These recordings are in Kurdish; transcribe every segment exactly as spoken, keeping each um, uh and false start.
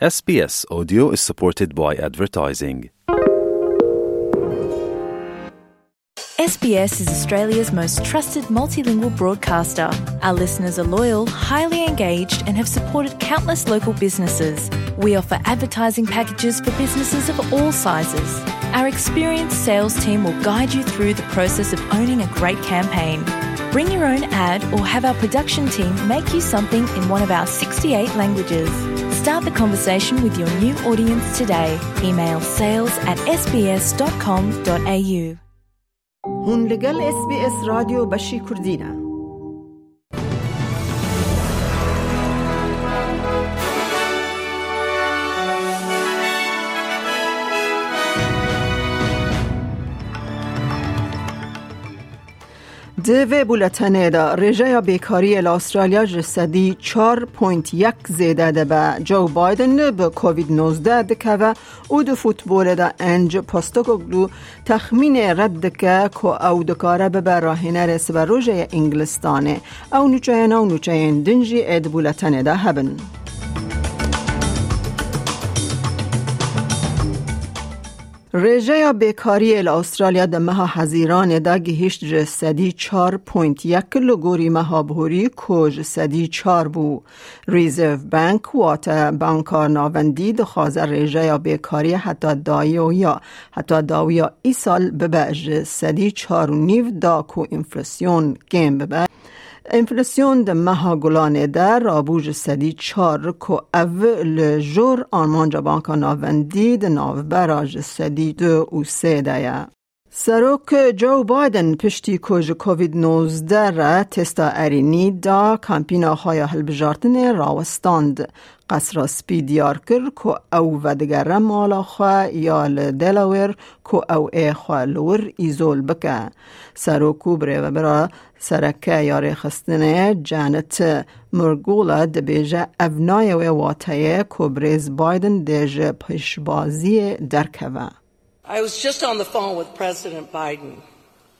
S B S Audio is supported by advertising. S B S is Australia's most trusted multilingual broadcaster. Our listeners are loyal, highly engaged, and have supported countless local businesses. We offer advertising packages for businesses of all sizes. Our experienced sales team will guide you through the process of owning a great campaign. Bring your own ad or have our production team make you something in one of our sixty-eight languages. Start the conversation with your new audience today. Email sales at S B S dot com dot A U. Hûn li gel S B S Radyo Beşî Kurdî ne. Di vê buletenê de rêjeya bêkariyê li Astralya ji sedî çar point yek zêde dibe. Joe Biden bi Covid nozdeh dikeve û di futbolê de Ange Postecoglou texmînê red dike ku ew dikare bibe rahênerê siberojê yê Îngilistanê. Ew nûçeyên ew nûçeyên din jî ê di buletenê de hebin. Rêjeya bêkariyê li Astralya di meha Hezîranê de gihîşt ji sedî çar point yek li gorî meha borî ku ji sedî çar bû. Reserve Bank, wate Banka Navendî, dixwaze rêjeya bêkariyê heta dawiya, heta dawiya îsal bibe ji sedî çar û nîv da ku enflasyon kêm bibe. Enflasyon di meha Gulanê de rabû ji sedî çar, ku ev li jor armanca Banka Navendî di navbera ji sedî du û sê de ye. Serok Joe Biden piştî ku ji Covid nozdeh re testa erênî da, kampîna xwe ya hilbijartinê rawestand. Qesra Spî diyar kir ku ew vedigere mala xwe ya li Delaware ku ew ê xwe li wir îzol bike. Serok û birêvebira sereke ya rêxistinê Janet Murgula dibêje ev nayê wê wateyê ku birêz Biden dê ji pêşbaziyê derkeve. I was just on the phone with President Biden.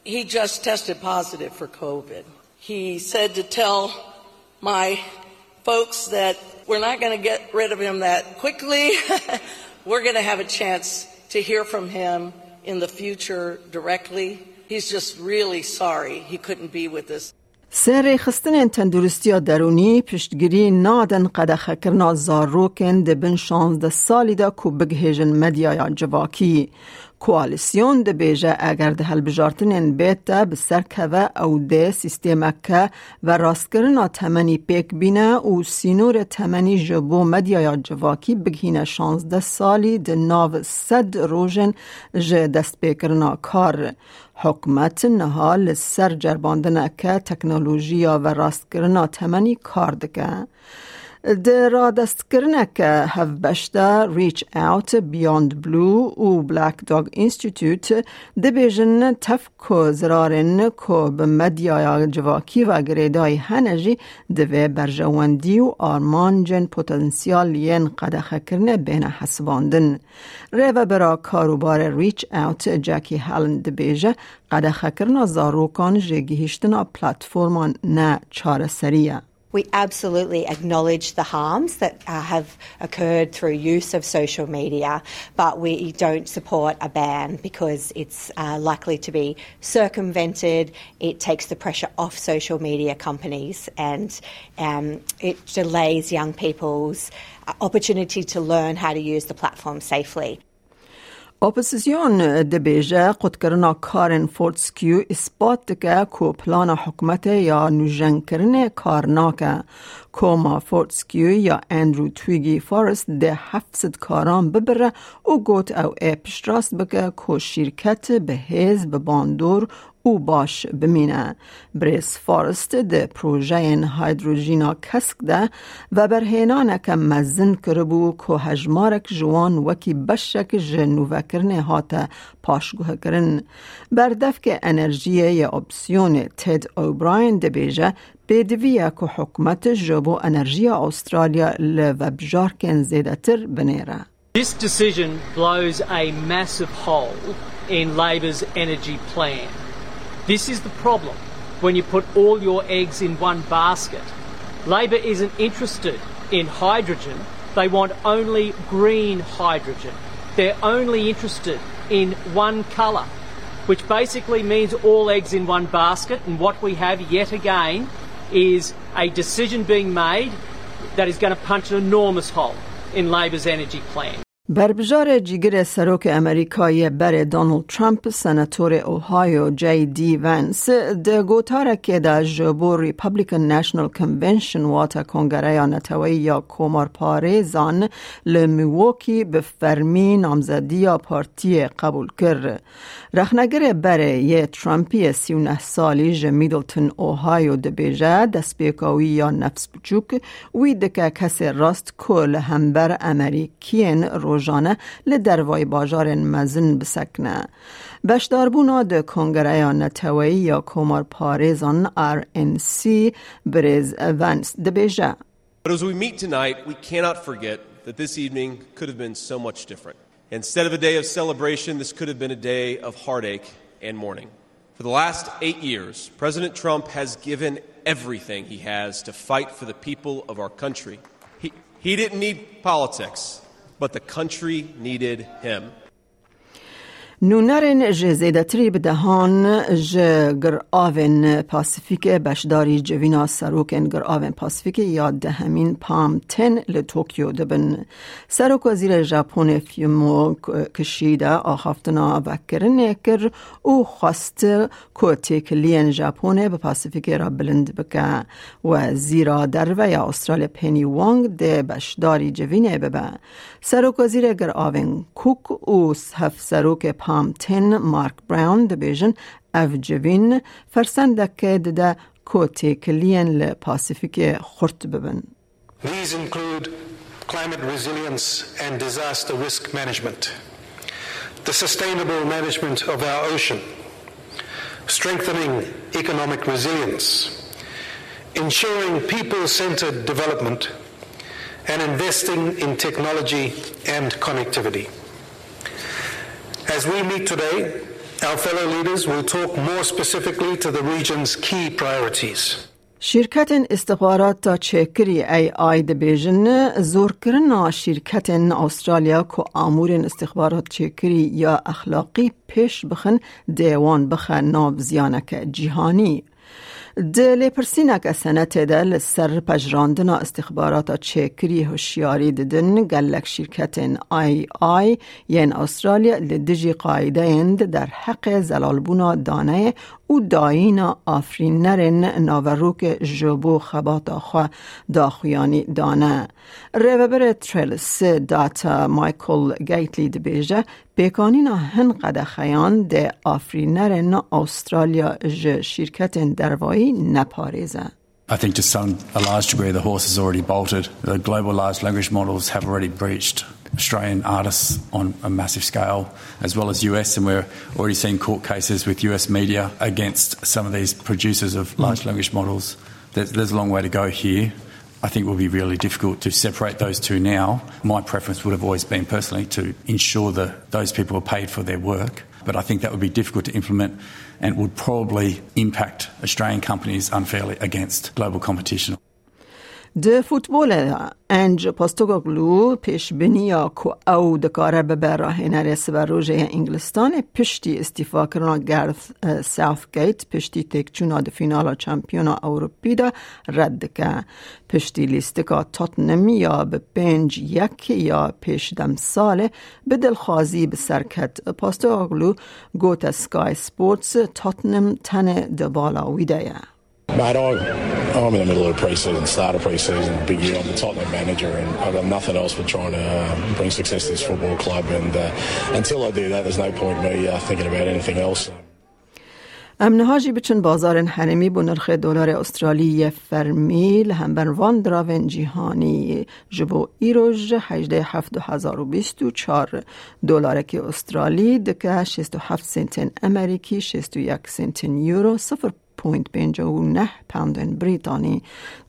He just tested positive for Covid. He said to tell my folks that we're not gonna get rid of him that quickly. We're gonna have a chance to hear from him in the future directly. He's just really sorry he couldn't be with us. Sê rêxistinên tenduristiya derûnî piştgirî nadin qedexekirina zarokên di bin şazdeh salî de ku bigihêjin medyaya civakî. Koalîsyon dibêje eger di hilbijartinên bête bi ser keve, ew dê sîstemeke verastkirina temenî pêk bîne û sînorê temenî ji bo medyaya civakî bigihîne şazdeh salî di nav sed rojên ji destpêkirina kar. Hikûmet niha li ser ceribandineke teknolojiya verastkirina temenî kar dike. Di radestkirineke hevbeş de Reach Out, Beyond Blue û Black Dog Institute dibêjin tev ku zirarên ku bi medyaya civakî ve girêdayî hene jî divê berjewendî û armancên potansiyal yên qedexekirinê bêne hesibandin. Rêvebira karûbarê Reach Out, Jackie Hallen dibêje, qedexekirina zarokan ji gihîştina platforman ne çareserî ye. We absolutely acknowledge the harms that, uh, have occurred through use of social media, but we don't support a ban because it's, uh, likely to be circumvented. It takes the pressure off social media companies and, um, it delays young people's, uh, opportunity to learn how to use the platform safely. Opozîsyon dibêje qutkirina karên Fortescue îspat dike ku plana hikûmetê ya nûjenkirinê kar nake. Koma Fortescue ya Andrew Twiggy Forrest dê heft sed karan bibire û got ew ê piştrast bike ku şîrket bi hêz, bi bandor û baş bimîne. Birêz Forrest di projeyên hidrojîna kesk de veberhênaneke mezin kiribû ku hejmarek ji wan wekî beşek ji nûvekirinê hate paşguhkirin. Berdevkê enerjiyê yê opsiyonê Ted O'Brien dibêje, pêdivî ye ku hikûmet ji bo enerjiya Astralya li vebijarkên zêdetir binêre. This decision blows a massive hole in Labor's energy plan. This is the problem when you put all your eggs in one basket. Labor isn't interested in hydrogen, They want only green hydrogen. They're only interested in one colour, which basically means all eggs in one basket. And what we have yet again is a decision being made that is going to punch an enormous hole in Labor's energy plan. Berbijare cîgirê serokê Amerîka yê berê Donald Trump, senatorê Ohio J D Vance, di gotarekê de ji bo Republican National Convention, wate Kongereya Neteweyî ya Komarparêzan li Milwaukee, bi fermî namzediya partiyê qebûl kir. Rexnegerê berê yê Trumpî yê sî û neh salî ji Middleton, Ohio dibêje, destpêka wî ya nefs biçûk wî dike kesê rast ku li hember Amerîkiyên rojane li dervayî bajarên mezin bisekine. Beşdarbûna di Kongereya Neteweyî ya Komarparêzan R N C, birêz Vance dibêje. But as we meet tonight, we cannot forget that this evening could have been so much different. Instead of a day of celebration, this could have been a day of heartache and mourning. For the last eight years, President Trump has given everything he has to fight for the people of our country. He, he didn't need politics, but the country needed him. Nûnerên ji zêdetirî bi dehan ji giravên Pasifîkê beşdarî civîna serokên giravên Pasifîkê ya dehemîn PALM ten li Tokyo dibin. Serokwezîrê Japonê Fumio Kishida axaftina vekirinê kir û xwest ku têkiliyên Japonê bi Pasifîkê re bilind bike. Wezîra Derve ya Australya Penny Wong dê beşdarî civînê bibe. Serokwezîrê giravên Cook û hevserokê PALM ten Mark Brown dibêjin, ev civîn fersendekê dide ku têkiliyên li Pasifîkê xurt bibin. These include climate resilience and disaster risk management, the sustainable management of our ocean, strengthening economic resilience, ensuring people-centered development, and investing in technology and connectivity. As we meet today, our fellow leaders will talk more specifically to the region's key priorities. Şîrketên îstixbarata çêkirî A I dibêjin, zorkirina şîrketên Australya ku amûrên îstixbarat çêkirî ya exlaqî pêş bixin, dê wan bixe nav ziyaneke cîhanî. Di lêpirsîneke senetê de li ser pejirandina îstixbarata çêkirî hişyarî didin, gelek şîrketên A I yên Australya li dijî qaîdeyên di derheqê zelalbûna daneyê û dayîna afirînerên naverokê ji bo xebata xwe daxuyanî dane. Rêveberê Trails Data Michael Gately dibêje, pêkanîna hin qedexeyan dê afirînerên Australya ji şîrketên dervayî neparêze. I think to some, a large degree, the horse has already bolted. The global large language models have already breached Australian artists on a massive scale, as well as U S, and we're already seeing court cases with U S media against some of these producers of large language models. There's, there's a long way to go here. I think it will be really difficult to separate those two now. My preference would have always been personally to ensure that those people are paid for their work, but I think that would be difficult to implement and would probably impact Australian companies unfairly against global competition. Di futbolê de Ange Postecoglou pêşbiniya ku ew dikare bibe rahênerê siberojê ya Îngilistanê piştî îstîfakirina Gareth, eh, Southgate, piştî têkçûna di fînala Şampiyona Ewropî de red dike. Piştî lîstika Tottenham ya bi pênc yek ya pêş demsalê bi dilxwazî bi ser ket. Postecoglou gote Sky Sports, Tottenham tenê di bala wî de ye. Mate, I, I'm in the middle of a pre-season, start of pre-season, big year. I'm the Tottenham manager, and I've got nothing else but trying to, um, bring success to this football club. And, uh, until I do that, there's no point me, uh, thinking about anything else. Em niha jî biçin bazarên herêmî bo nirxê dolarê Australî yê fermî li hember van diravên cîhanî. Ji bo îro ji hejdeh heft du hezar û bîst û çar, dolarekî Australî dike şêst û heft sentên Amerîkî, şêst û yek sentên Euro, sifir point pênc û neh poundên Brîtanî.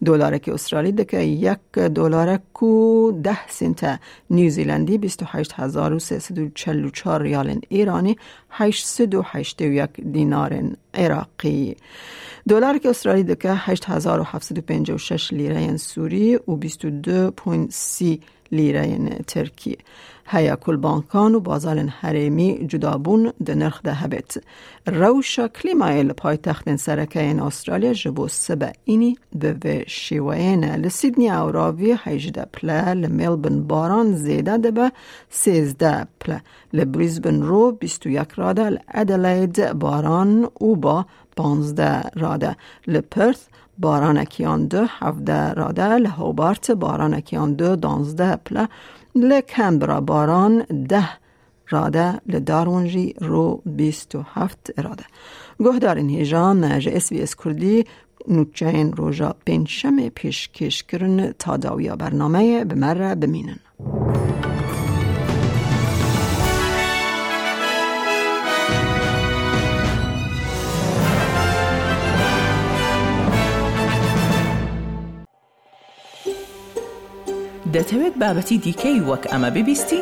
Dolarekî Australî dike yek dolarek û deh sente New Zealandî, bîst û heşt hezar û sê sed û çel û çar riyalên Îranî, heşt sed û heştê û yek dînarên Iraqî. Dolarekî Australî dike heşt hezar û heft sed û pêncî û şeş lîreyên Sûrî û bîst û du point sî lîreyên Tirkî. Heye ku li bankan û bazarên herêmî cudabûn di nirx de hebêt. Rewşa klîmayê li paytextên sereke yên Astralya ji bo sibe înî bi vê şêweyê ne. Li Sydney ew ravî hejdeh pile, li Melbourne baran zêde dibe sêzdeh pile. Li Brisbane ro bîst û yek rade, li Adelaide baran û ba panzdeh rade. Li Perth baranekî yan du hevdeh rade, li Hobart baranekî yan du danzdeh pile, li Canberra baran deh rade, li Darwin jî ro bîst û heft rade. Guhdarên hêja me ji S B S Kurdî nûçeyên roja pêncşemê pêşkêş kirin. Ta dawiya bernameyê bi me re bimînin. دەتەوێت بابەتی دیکەی وەک ئەمە ببیستی؟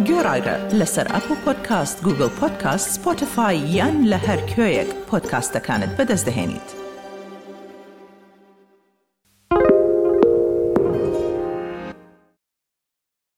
گوێڕایرە لەسەر ئەپڵ پۆدکاست، گوگڵ پۆدکاست، سپۆتیفای یان لە هەر کوێیەک پۆدکاستەکانت بەدەست دەهێنیت.